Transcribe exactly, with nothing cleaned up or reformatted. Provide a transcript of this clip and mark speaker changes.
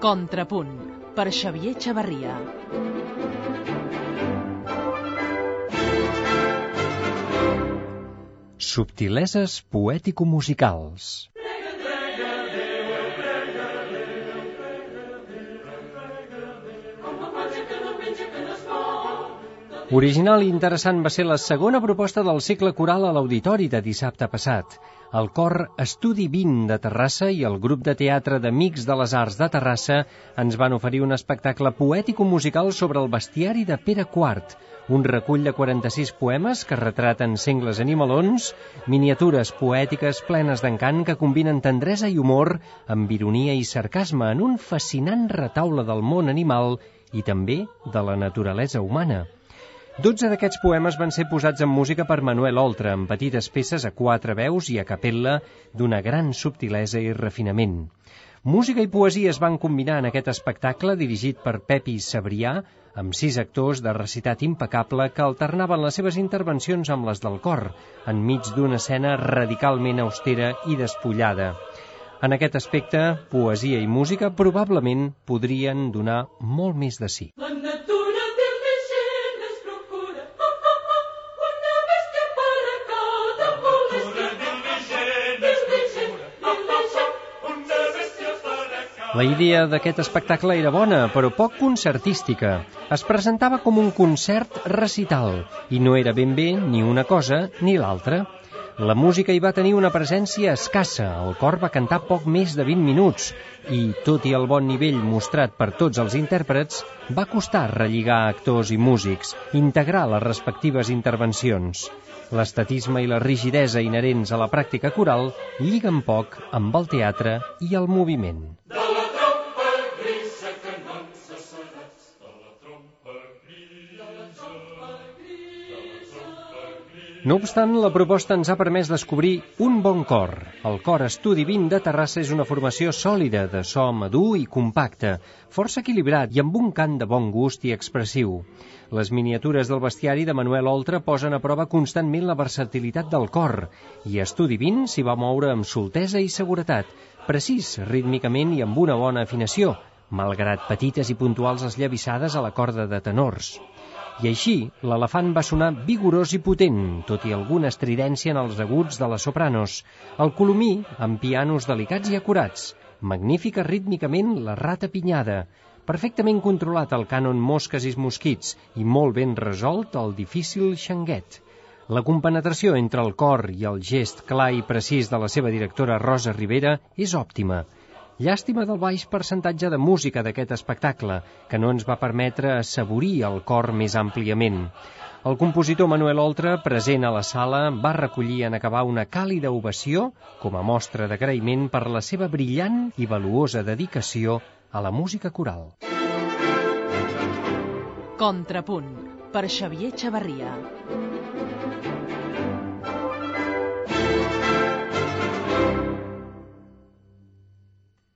Speaker 1: Contrapunt, per Xavier Chavarria.
Speaker 2: Subtileses poètico-musicals. Original i interessant va ser la segona proposta del cicle coral a l'Auditori de dissabte passat. El cor Estudi vint de Terrassa i el grup de teatre d'Amics de les Arts de Terrassa ens van oferir un espectacle poètico-musical sobre el bestiari de Pere quart, un recull de quaranta-sis poemes que retraten sengles animalons, miniatures poètiques plenes d'encant que combinen tendresa i humor amb ironia i sarcasme en un fascinant retaule del món animal i també de la naturalesa humana. Dotze d'aquests poemes van ser posats en música per Manuel Oltra, amb petites peces a quatre veus i a capella d'una gran subtilesa i refinament. Música i poesia es van combinar en aquest espectacle dirigit per Pepi Sabrià, amb sis actors de recitat impecable que alternaven les seves intervencions amb les del cor, enmig d'una escena radicalment austera i despullada. En aquest aspecte, poesia i música probablement podrien donar molt més de si. La idea d'aquest espectacle era bona, però poc concertística. Es presentava com un concert recital, i no era ben bé ni una cosa ni l'altra. La música hi va tenir una presència escassa, el cor va cantar poc més de vint minuts, i, tot i el bon nivell mostrat per tots els intèrprets, va costar relligar actors i músics, integrar les respectives intervencions. L'estatisme i la rigidesa inherents a la pràctica coral lliguen poc amb el teatre i el moviment. No obstant, la proposta ens ha permès descobrir un bon cor. El cor Estudi vint de Terrassa és una formació sòlida, de so madur i compacte, força equilibrat i amb un cant de bon gust i expressiu. Les miniatures del bestiari de Manuel Oltra posen a prova constantment la versatilitat del cor, i Estudi vint s'hi va moure amb soltesa i seguretat, precís rítmicament i amb una bona afinació, malgrat petites i puntuals esllavissades a la corda de tenors. I així, l'elefant va sonar vigorós i potent, tot i alguna estridència en els aguts de les sopranos, el colomí amb pianos delicats i acurats, magnífica rítmicament la rata pinyada, perfectament controlat el cànon mosques i mosquits i molt ben resolt el difícil xanguet. La compenetració entre el cor i el gest clar i precís de la seva directora Rosa Rivera és òptima. Llàstima del baix percentatge de música d'aquest espectacle, que no ens va permetre assaborir el cor més àmpliament. El compositor Manuel Oltra, present a la sala, va recollir en acabar una càlida ovació com a mostra d'agraïment per la seva brillant i valuosa dedicació a la música coral.
Speaker 1: Contrapunt, per Xavier Chavarria.